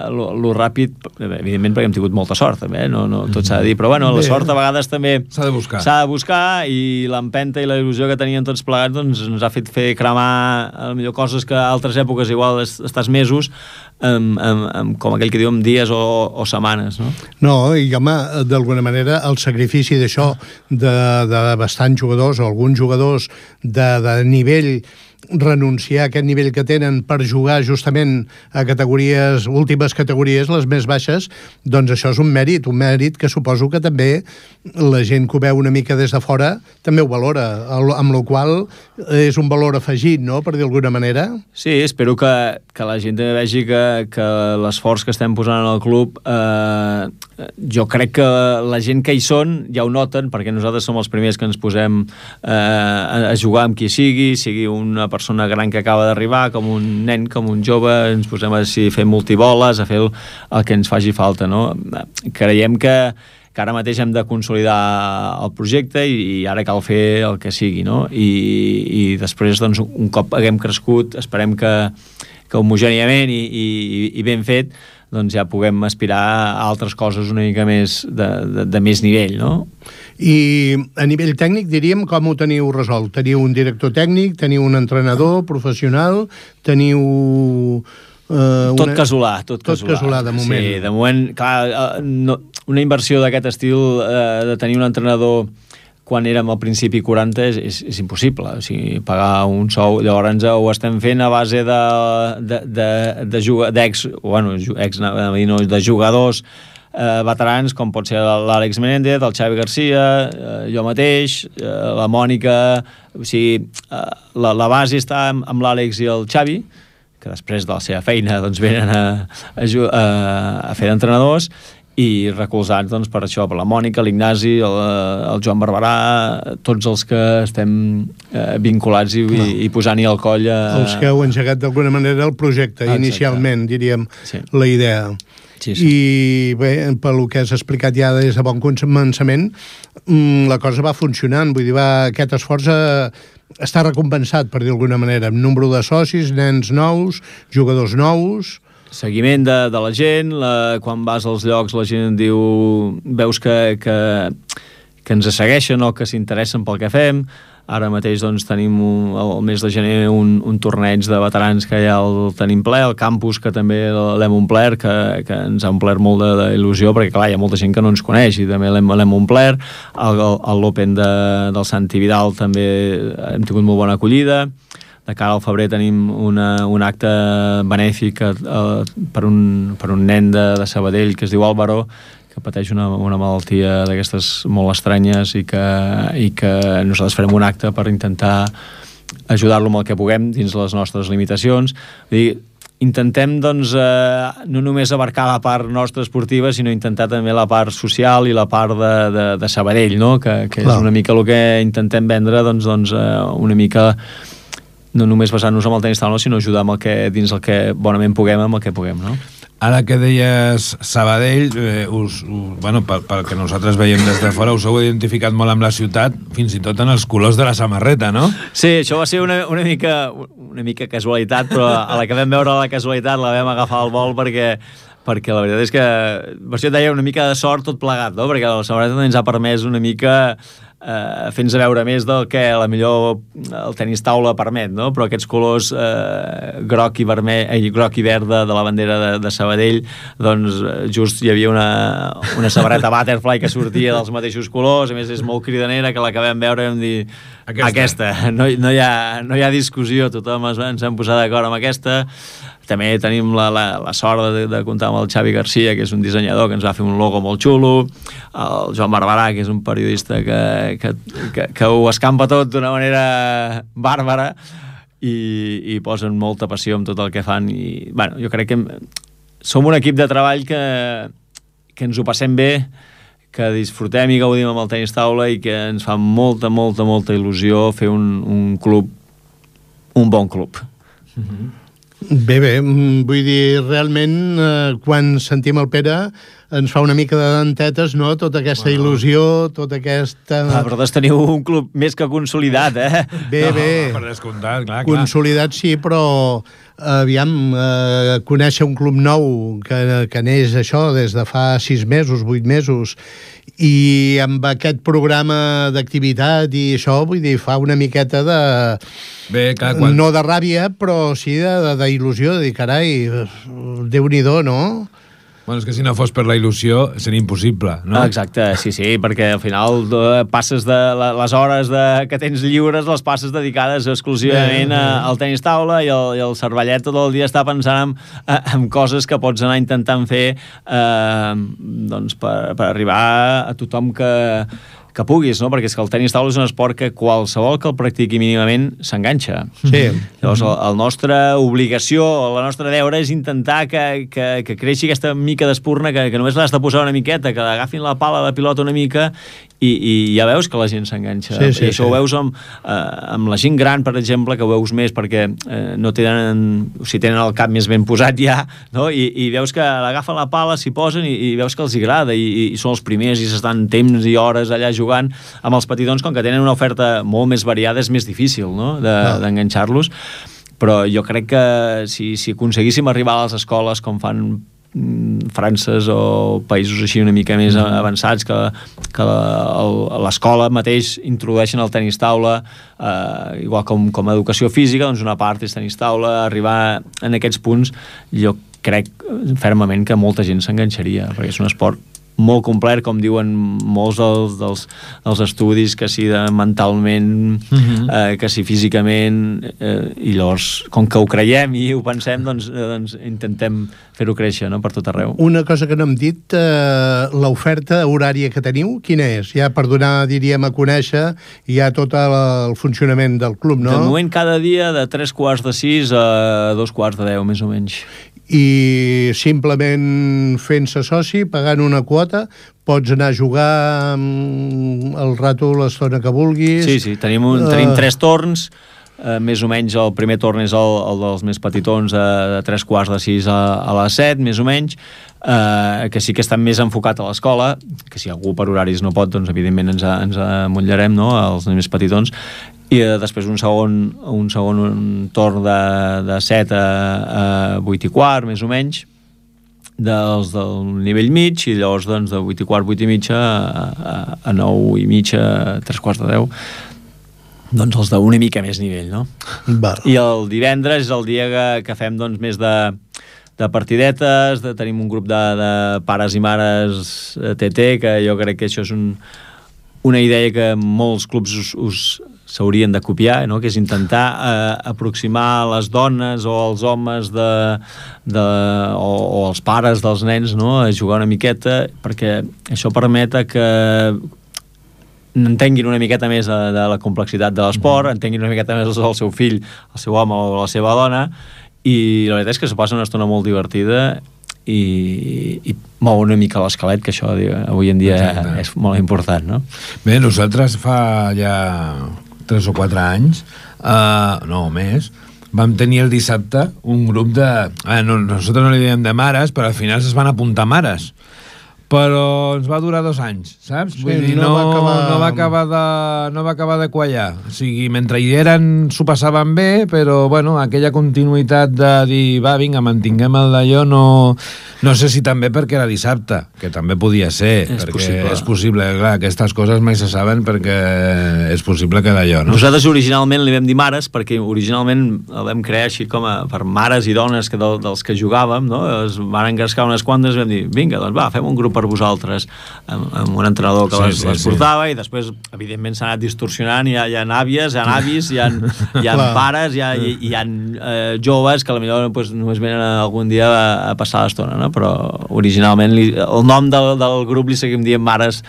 lo ràpid, evidentment perquè hem tingut molta sort també, no tot s'ha de dir, però bueno, la sort a vegades també s'ha de buscar i l'empenta i la il·lusió que tenien tots plegats doncs ens ha fet fer cremar a millor coses que a altres èpoques igual estàs mesos com aquell que diu dies o setmanes, no? No, i home, d'alguna manera el sacrifici d'això de bastants jugadors o alguns jugadors de nivell, renunciar a aquest nivell que tenen per jugar justament a últimes categories, les més baixes, doncs això és un mèrit que suposo que també la gent que ho veu una mica des de fora també ho valora, amb la qual és un valor afegit, no?, per dir d'alguna manera. Sí, espero que la gent també vegi que l'esforç que estem posant en el club, jo crec que la gent que hi són ja ho noten, perquè nosaltres som els primers que ens posem a jugar amb qui sigui una persona gran que acaba d'arribar, com un nen, com un jove, ens posem a fer multiboles, a fer el que ens faci falta, no? Creiem que ara mateix hem de consolidar el projecte i ara cal fer el que sigui, no? I després, doncs, un cop haguem crescut, esperem que homogèniament i ben fet, doncs ja puguem aspirar a altres coses una mica més de més nivell, no? I a nivell tècnic, diríem, com ho teniu resolt? Teniu un director tècnic, teniu un entrenador professional, teniu... Tot casolà, de moment. Sí, de moment, clar, una inversió d'aquest estil de tenir un entrenador quan érem al principi 40 és impossible, o sigui, pagar un sou. Llavors ho estem fent a base de jugadors veterans, com pot ser l'Àlex Menéndez, el Xavi Garcia, jo mateix, la Mònica, o sigui, la base està amb l'Àlex i el Xavi, que després de la seva feina doncs venen a fer d'entrenadors, i recolzats doncs, per això, per la Mònica, l'Ignasi, el Joan Barberà, tots els que estem vinculats i posant-hi al coll els que heu engegat d'alguna manera el projecte. Exacte. Inicialment, diríem, sí, la idea. Sí. I bé, pel que has explicat ja des de bon començament, la cosa va funcionant, vull dir, aquest esforç està recompensat, per dir d'alguna manera, amb número de socis, nens nous, jugadors nous... Seguiment de la gent, quan vas als llocs la gent diu, veus que ens segueixen o que s'interessen pel que fem. Ara mateix doncs, tenim el mes de gener un torneig de veterans que ja el tenim ple, el campus que també l'hem omplert, que ens ha omplert molt d'il·lusió, perquè clar, hi ha molta gent que no ens coneix i també l'hem omplert. L'Open del Santi Vidal també hem tingut molt bona acollida. De cara al febrer tenim un acte benèfic per un nen de Sabadell que es diu Álvaro, que pateix una malaltia d'aquestes molt estranyes i que nosaltres farem un acte per intentar ajudar-lo amb el que puguem dins les nostres limitacions. Vull dir, intentem doncs, no només abarcar la part nostra esportiva, sinó intentar també la part social i la part de Sabadell, no? Que és una mica el que intentem vendre, doncs una mica no només basant-nos en el tenis taula, sinó ajudar amb dins el que bonament puguem, amb el que puguem, no? Ara que deies Sabadell, pel que nosaltres veiem des de fora, us heu identificat molt amb la ciutat, fins i tot en els colors de la samarreta, no? Sí, això va ser una mica casualitat, però a la que vam veure la casualitat la vam agafar al vol perquè la veritat és que, per això et deia, una mica de sort tot plegat, no? Perquè la samarreta ens ha permès una mica fent-nos veure més del que millor el tenis taula permet, no? Però aquests colors groc i verd de la bandera de Sabadell, doncs just hi havia una samarreta butterfly que sortia dels mateixos colors, a més és molt cridanera, que la que vam veure vam dir aquesta. No hi ha discussió, tothom ens hem posat d'acord amb aquesta. També tenim la sort de comptar amb el Xavi Garcia, que és un dissenyador que ens va fer un logo molt xulo, el Joan Barberà, que és un periodista que ho escampa tot d'una manera bàrbara i posen molta passió en tot el que fan. I bueno, jo crec que som un equip de treball que ens ho passem bé, que disfrutem i gaudim amb el tenis taula i que ens fa molta, molta, molta il·lusió fer un club, un bon club. Bé, vull dir, realment, quan sentim el Pere, ens fa una mica de dentetes, no?, tota aquesta il·lusió, tota aquesta... Vosaltres teniu un club més que consolidat, eh? Bé. Per descomptat, clar. Consolidat sí, però aviam, conèixer un club nou que neix això des de fa 6 mesos, 8 mesos, i amb aquest programa d'activitat i això, vull dir, fa una miqueta de... Bé, clar, no de ràbia, però sí d'il·lusió, de dir, carai, Déu-n'hi-do, no? Bueno, és que si no fos per la il·lusió seria impossible, no? Exacte, sí, perquè al final passes de les hores que tens lliures, les passes dedicades exclusivament al tenis taula i el cervellet tot el dia està pensant en coses que pots anar intentant fer doncs per arribar a tothom que puguis, no? Perquè és que el tenis taula és un esport que qualsevol que el practiqui mínimament s'enganxa. Sí. Llavors, la nostra obligació, la nostra deure és intentar que creixi aquesta mica d'espurna, que només l'has de posar una miqueta, que agafin la pala de pilota una mica i ja veus que la gent s'enganxa. Sí, I això ho veus amb la gent gran, per exemple, que ho veus més perquè no tenen, o sigui, tenen el cap més ben posat ja, no? I veus que l'agafen la pala, s'hi posen i veus que els agrada i són els primers i s'estan temps i hores allà jugant. Amb els petitons, com que tenen una oferta molt més variada, és més difícil, no?, d'enganxar-los. Però jo crec que si aconseguíssim arribar a les escoles com fan França o països així una mica més avançats, que l'escola mateix introdueixen el tenis taula, igual com a educació física, doncs una part és tenis taula. Arribar en aquests punts, jo crec fermament que molta gent s'enganxaria, perquè és un esport molt complet, com diuen molts dels estudis, que si mentalment, que si físicament, i llavors, com que ho creiem i ho pensem, doncs intentem fer-ho créixer, no?, per tot arreu. Una cosa que no hem dit, l'oferta horària que teniu, quina és? Ja per donar, diríem, a conèixer ja tot el funcionament del club, no? De moment, cada dia de 3:45 a 2:10, més o menys. I simplement fent-se soci, pagant una quota, pots anar a jugar el rato, l'estona que vulguis. Sí, tenim 3 torns, més o menys el primer torn és el dels més petitons, de 3:45 a les 7, més o menys, que sí que està més enfocat a l'escola, que si algú per horaris no pot, doncs evidentment ens amotllarem, no?, als més petitons. I després un segon torn de 7 a 8:15, més o menys, del nivell mig, i llavors doncs, de 8:15, 8:30 a 9:30, 3:45, doncs els d'una mica més nivell, no? Val. I el divendres és el dia que fem doncs, més de partidetes, tenim un grup de pares i mares TT, que jo crec que això és una idea que molts clubs s'haurien de copiar, no?, que és intentar aproximar les dones o els homes o els pares dels nens, no?, a jugar una miqueta, perquè això permet que entenguin una miqueta més de la complexitat de l'esport, entenguin una miqueta més el seu fill, el seu home o la seva dona, i la veritat és que se passa una estona molt divertida i mou una mica l'esquelet, que això avui en dia és molt important, no? Bé, nosaltres fa ja 3 o 4 anys, no més, vam tenir el dissabte un grup de... nosaltres no li diem de mares, però al final es van apuntar mares. Però ens va durar 2 anys, saps? Vull dir, no va acabar de quallar. O sigui, mentre hi eren s'ho passaven bé, però, bueno, aquella continuïtat de dir, va, vinga, mantinguem el d'allò, no sé si també perquè era dissabte, que també podia ser, perquè és possible, clar, aquestes coses mai se saben perquè és possible que d'allò, no? Nosaltres originalment li vam dir mares, perquè originalment el vam crear així com per mares i dones dels que jugàvem, no? Es van engrescar unes quantes i vam dir, vinga, doncs va, fem un grup per vosaltres, amb un entrenador que les portava, i després evidentment s'ha anat distorsionant, hi ha àvies, hi ha avis, hi ha pares, hi ha joves que potser només venen algun dia a passar l'estona, no? Però originalment el nom del grup li seguim dient mares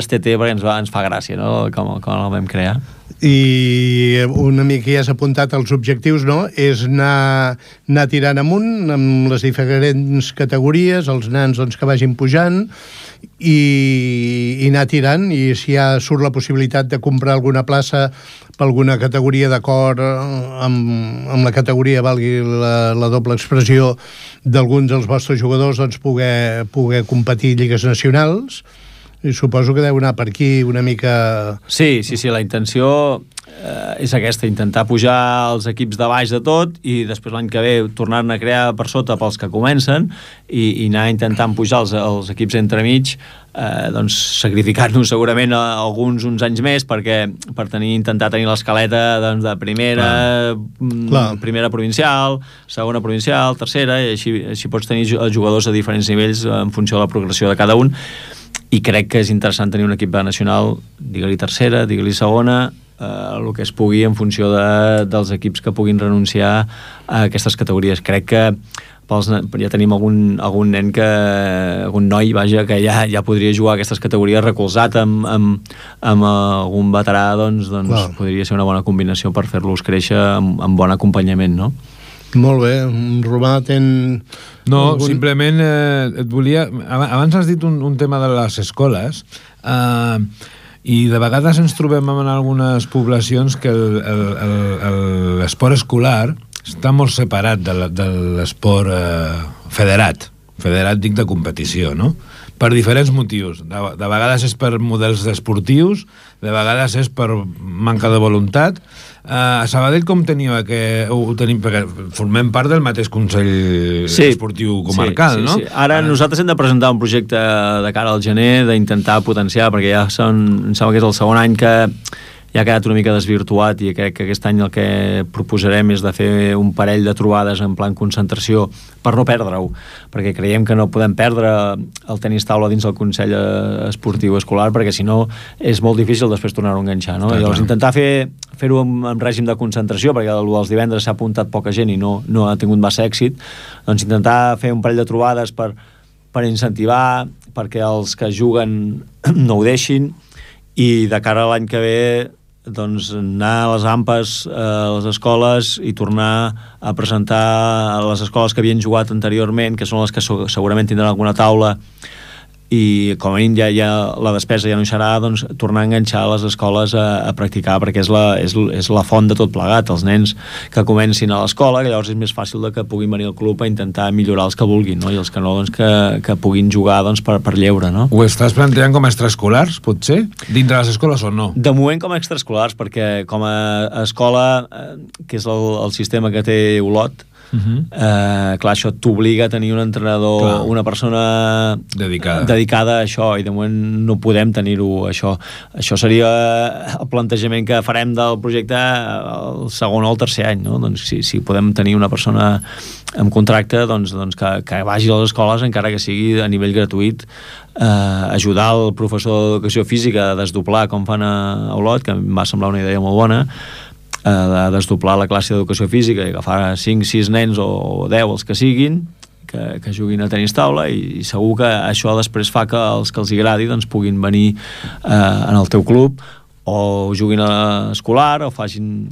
TT, perquè ens fa gràcia, no?, com el vam crear. I una mica ja has apuntat els objectius, no?, és anar tirant amunt amb les diferents categories, els nans doncs, que vagin pujant, i anar tirant, i si ja surt la possibilitat de comprar alguna plaça per alguna categoria d'acord amb la categoria, valgui la doble expressió, d'alguns dels vostres jugadors, doncs poder competir lligues nacionals, i suposo que deu anar per aquí una mica... Sí, la intenció és aquesta, intentar pujar els equips de baix de tot i després l'any que ve tornar-ne a crear per sota pels que comencen i anar intentant pujar els equips entremig, doncs sacrificant-nos segurament alguns uns anys més per intentar tenir l'escaleta doncs, de primera provincial, segona provincial, tercera, i així pots tenir jugadors a diferents nivells en funció de la progressió de cada un. I crec que és interessant tenir un equip nacional, digue-li tercera, digue-li segona, el que es pugui en funció dels equips que puguin renunciar a aquestes categories. Crec que ja tenim algun nen algun noi, vaja, que ja podria jugar a aquestes categories recolzat amb algun veterà, doncs podria ser una bona combinació per fer-los créixer amb bon acompanyament, no? Molt bé. Romà, No, simplement et volia... Abans has dit un tema de les escoles, i de vegades ens trobem en algunes poblacions que l'esport escolar està molt separat de l'esport federat dic de competició, no? Per diferents motius. De vegades és per models esportius, de vegades és per manca de voluntat. A Sabadell com teniu perquè formem part del mateix Consell Esportiu Comarcal, no? Sí. Ara nosaltres hem de presentar un projecte de cara al gener d'intentar potenciar, perquè em sembla que és el segon any que ja ha quedat una mica desvirtuat, i crec que aquest any el que proposarem és de fer un parell de trobades en plan concentració per no perdre-ho, perquè creiem que no podem perdre el tenis taula dins el Consell Esportiu Escolar, perquè si no és molt difícil després tornar-ho a enganxar, no? Llavors intentar fer-ho en règim de concentració, perquè els divendres s'ha apuntat poca gent i no ha tingut massa èxit, doncs intentar fer un parell de trobades per incentivar, perquè els que juguen no ho deixin, i de cara a l'any que ve doncs anar a les AMPAs, a les escoles, i tornar a presentar a les escoles que havien jugat anteriorment, que són les que segurament tindran alguna taula, i com a mínim ja la despesa ja no hi serà, doncs tornar a enganxar les escoles a practicar, perquè és la font de tot plegat, els nens que comencin a l'escola, que llavors és més fàcil que puguin venir al club a intentar millorar els que vulguin, no? I els que no, doncs que puguin jugar doncs, per lleure, no? Ho estàs plantejant com a extraescolars, potser? Dintre les escoles o no? De moment com a extraescolars, perquè com a escola, que és el sistema que té Olot, clar, això t'obliga a tenir un entrenador, una persona dedicada a això, i de moment no podem tenir-ho, això seria el plantejament que farem del projecte el segon o el tercer any, no? Doncs si podem tenir una persona amb contracte, doncs que vagi a les escoles, encara que sigui a nivell gratuït, ajudar el professor d'educació física a desdoblar com fan a Olot, que em va semblar una idea molt bona, de desdoblar la classe d'educació física i agafar 5-6 nens o 10, els que siguin, que juguin a tenis taula, i segur que això després fa que els que els agradi doncs puguin venir en el teu club, o juguin a escolar, o facin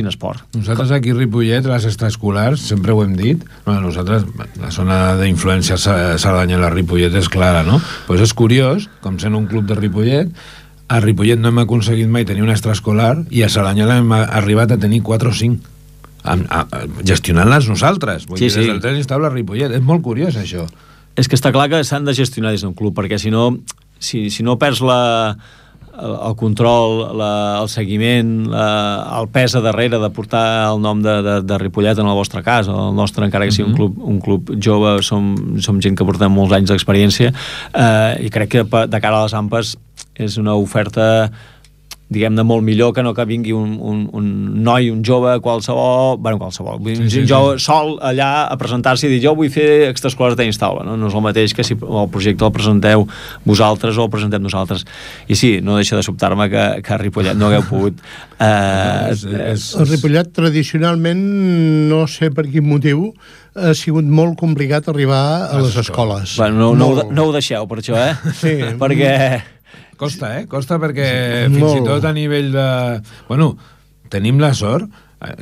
esport. Nosaltres aquí a Ripollet, les extraescolars, sempre ho hem dit, nosaltres, la zona d'influència Cerdanyola a Ripollet és clara, no? Pues és curiós, com sent un club de Ripollet, a Ripollet no hem aconseguit mai tenir un extraescolar, i a Cerdanyola hem arribat a tenir 4 o 5, gestionant-les nosaltres. Vull dir, des del tenis taula a Ripollet. És molt curiós, això. És que està clar que s'han de gestionar des d'un club, perquè si no perds el control, el seguiment, el pes a darrere de portar el nom de Ripollet en el vostre cas, el nostre, encara que sigui un club jove, som gent que portem molts anys d'experiència, i crec que de cara a les AMPAs és una oferta, diguem-ne, molt millor que no que vingui un noi, un jove, qualsevol, un jove sol allà a presentar-se i dir jo vull fer extraescolars de tenis taula, no és el mateix que si el projecte el presenteu vosaltres o el presentem nosaltres. I sí, no deixa de sobtar-me que a Ripollet no hagueu pogut... El Ripollet tradicionalment, no sé per quin motiu, ha sigut molt complicat arribar a les escoles. Bueno, no ho deixeu per això, Sí. Perquè... Costa perquè fins i tot a nivell de... Bueno, tenim la sort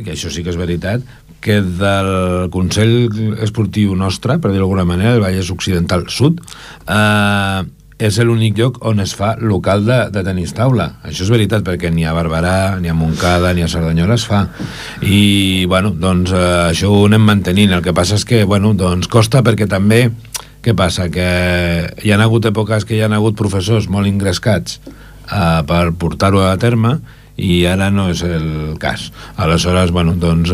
que això sí que és veritat, que del Consell Esportiu nostre, per dir-ho d'alguna manera, el Vallès Occidental Sud, és l'únic lloc on es fa local de tenis taula. Això és veritat, perquè ni a Barberà, ni a Montcada, ni a Cerdanyola es fa. I, bueno, doncs això ho anem mantenint. El que passa és que, bueno, doncs costa perquè també, què passa? Que hi ha hagut èpoques que hi ha hagut professors molt ingrescats per portar-ho a terme, i ara no és el cas. Aleshores, bueno, doncs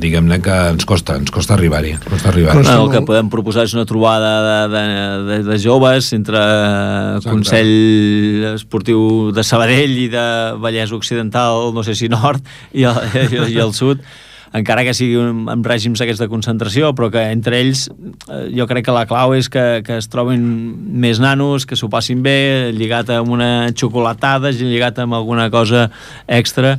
diguem-ne que ens costa arribar-hi. El que podem proposar és una trobada de joves entre Consell Esportiu de Sabadell i de Vallès Occidental, no sé si nord, i el sud, encara que sigui amb règims aquests de concentració, però que entre ells jo crec que la clau és que es trobin més nanos, que s'ho passin bé, lligat amb una xocolatada, lligat amb alguna cosa extra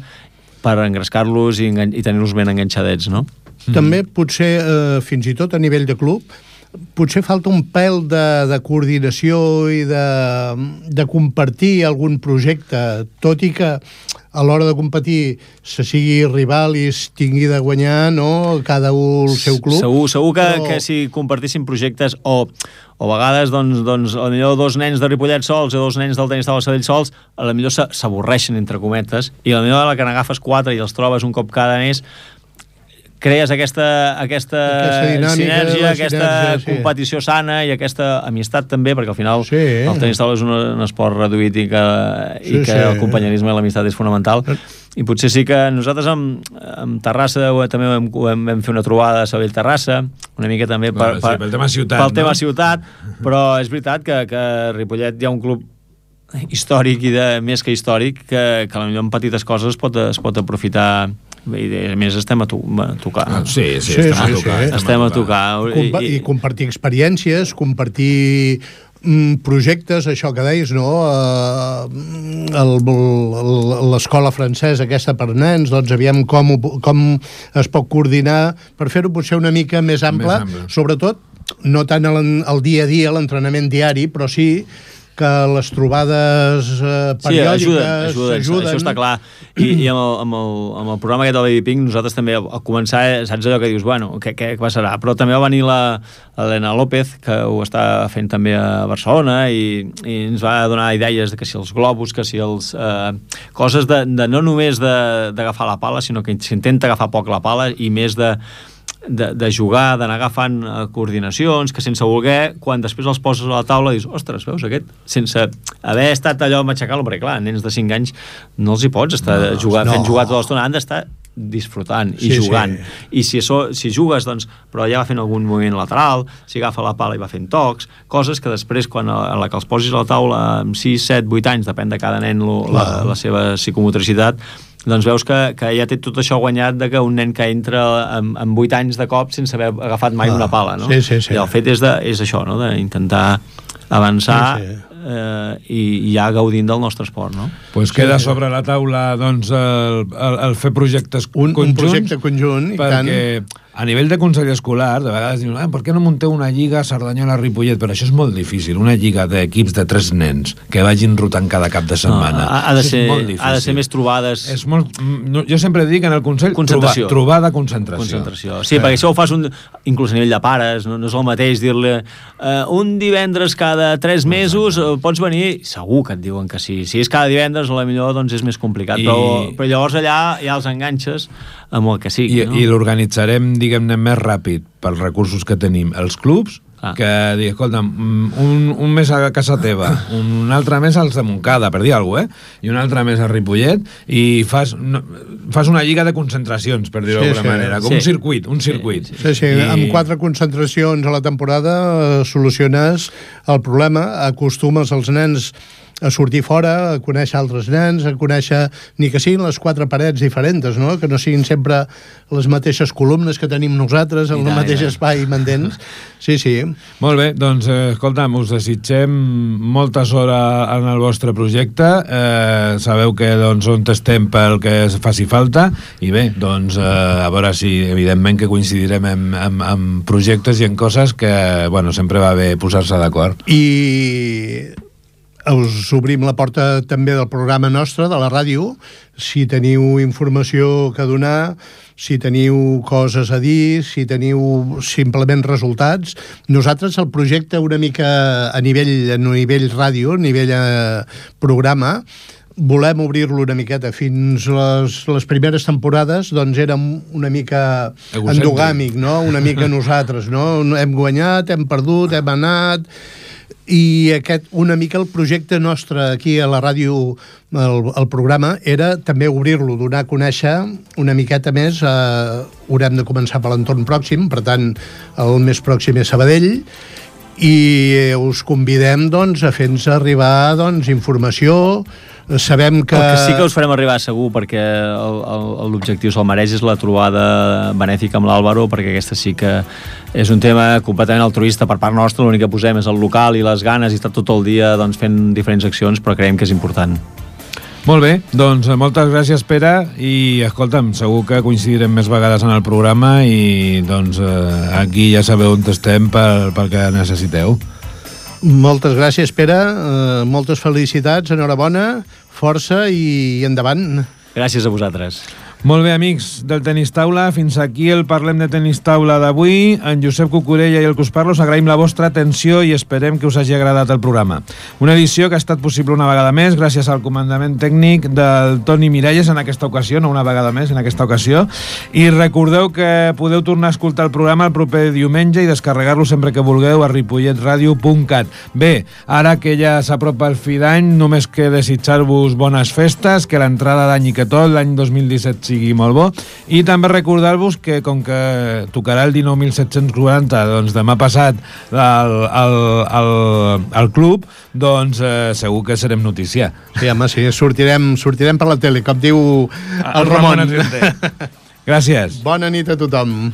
per engrescar-los i tenir-los ben enganxadets, no? També potser, fins i tot a nivell de club, potser falta un pèl de coordinació i de compartir algun projecte, tot i que a l'hora de competir se sigui rival i es tingui de guanyar, no?, cada un el seu club. Segur que si compartissin projectes o a vegades, doncs, potser dos nens de Ripollet sols o dos nens del tenis taula Sabadell sols, a la millor s'avorreixen, entre cometes, i a la millor la que n'agafes 4 i els trobes un cop cada mes, crees aquesta sinergia, aquesta competició sana i aquesta amistat també, perquè al final el tenis taula és un esport reduït i que el companyerisme i l'amistat és fonamental. I potser sí que nosaltres amb Terrassa també vam fer una trobada a Sabadell-Terrassa, una mica també pel tema ciutat, però és veritat que a Ripollet hi ha un club històric i més que històric que potser en petites coses es pot aprofitar. I a més estem a tocar. Sí, estem a tocar. I compartir experiències, compartir projectes, això que deies, no? L'escola francesa aquesta per nens, doncs aviam com es pot coordinar per fer-ho potser una mica més ample, sobretot no tant el dia a dia, l'entrenament diari, però sí que les trobades periòdiques ajuden. Això està clar. I amb el programa aquest del Baby Pink, nosaltres també, al començar, saps allò que dius, bueno, què passarà? Però també va venir l'Helena López, que ho està fent també a Barcelona, i ens va donar idees de que si els globus, que si els... coses de no només d'agafar la pala, sinó que s'intenta agafar poc la pala, i més de jugar, d'anar agafant coordinacions, que sense voler, quan després els poses a la taula dius, ostres, veus aquest? Sense haver estat allò a matxacar-lo, perquè clar, nens de 5 anys no els hi pots estar fent jugar tota l'estona, han d'estar disfrutant i jugant. I si jugues, doncs, però ja va fent algun moviment lateral, si agafa la pala i va fent tocs, coses que després, quan a la que els posis a la taula amb 6, 7, 8 anys, depèn de cada nen la seva psicomotricitat, doncs veus que ja té tot això guanyat de que un nen que entra amb 8 anys de cop sense haver agafat mai una pala, no? Sí. I el fet és això, no?, d'intentar avançar i ja gaudint del nostre esport, no? Pues queda sobre la taula, doncs, el fer projectes conjunts. Un projecte conjunt, i tant. Perquè a nivell de consell escolar, de vegades diuen, per què no munteu una lliga Cerdanyola-Ripollet? Però això és molt difícil, una lliga d'equips de 3 nens que vagin rotant cada cap de setmana. Ha de ser més trobades. Jo sempre dic en el consell, trobada concentració. Sí, perquè això ho fas inclús a nivell de pares, no és el mateix dir-li un divendres cada 3 mesos pots venir, segur que et diuen que sí. Si és cada divendres, potser doncs és més complicat, però llavors allà ja els enganxes amb el que sigui. I l'organitzarem, diguem-ne, més ràpid pels recursos que tenim els clubs, que dir, escolta'm, un mes a casa teva, un altre mes als de Montcada, per dir alguna cosa, i un altre mes a Ripollet, i fas una lliga de concentracions, per dir-ho d'alguna manera, com un circuit. Sí, amb 4 concentracions a la temporada soluciones el problema, acostumes els nens a sortir fora, a conèixer altres nens, a conèixer, ni que siguin les 4 parets diferents, no? Que no siguin sempre les mateixes columnes que tenim nosaltres, en el mateix espai mandents. Sí. Molt bé, doncs, escolta'm, us desitgem molta sort en el vostre projecte. Sabeu que on estem pel que faci falta, i bé, doncs, a veure si, evidentment, que coincidirem en projectes i en coses que, bueno, sempre va bé posar-se d'acord. I us obrim la porta també del programa nostre, de la ràdio. Si teniu informació que donar, si teniu coses a dir, si teniu simplement resultats. Nosaltres el projecte una mica a nivell ràdio, a nivell programa, volem obrir-lo una miqueta. Fins les primeres temporades doncs érem una mica endogàmic, no? Una mica nosaltres, no? Hem guanyat, hem perdut, hem anat... I una mica el projecte nostre aquí a la ràdio, el programa, era també obrir-lo, donar a conèixer una miqueta més. Haurem de començar per l'entorn pròxim, per tant, el més pròxim és Sabadell, i us convidem doncs, a fer-nos arribar informació. Sabem que... El que sí que us farem arribar segur, perquè l'objectiu se'l mereix, és la trobada benèfica amb l'Àlvaro, perquè aquesta sí que és un tema completament altruista per part nostra. L'únic que posem és el local i les ganes i estar tot el dia fent diferents accions, però creiem que és important. Molt bé, doncs moltes gràcies, Pere, i escolta'm, segur que coincidirem més vegades en el programa i doncs aquí ja sabeu on estem pel que necessiteu. Moltes gràcies, Pere, moltes felicitats, enhorabona, força i endavant. Gràcies a vosaltres. Molt bé, amics del Tenis Taula, fins aquí el Parlem de Tenis Taula d'avui. En Josep Cucurella i el que us parlo, us agraïm la vostra atenció i esperem que us hagi agradat el programa. Una edició que ha estat possible una vegada més gràcies al comandament tècnic del Toni Miralles en aquesta ocasió, no una vegada més en aquesta ocasió, i recordeu que podeu tornar a escoltar el programa el proper diumenge i descarregar-lo sempre que vulgueu a ripolletradio.cat. Bé, ara que ja s'apropa el fi d'any, només que desitjar-vos bones festes, que l'entrada d'any i que tot l'any 2017 sigui molt bo, i també recordar-vos que com que tocarà el 19.740 doncs demà passat al club, doncs segur que serem notícia. Sí, home, sí, sortirem per la tele, com diu el Ramon. Gràcies. Bona nit a tothom.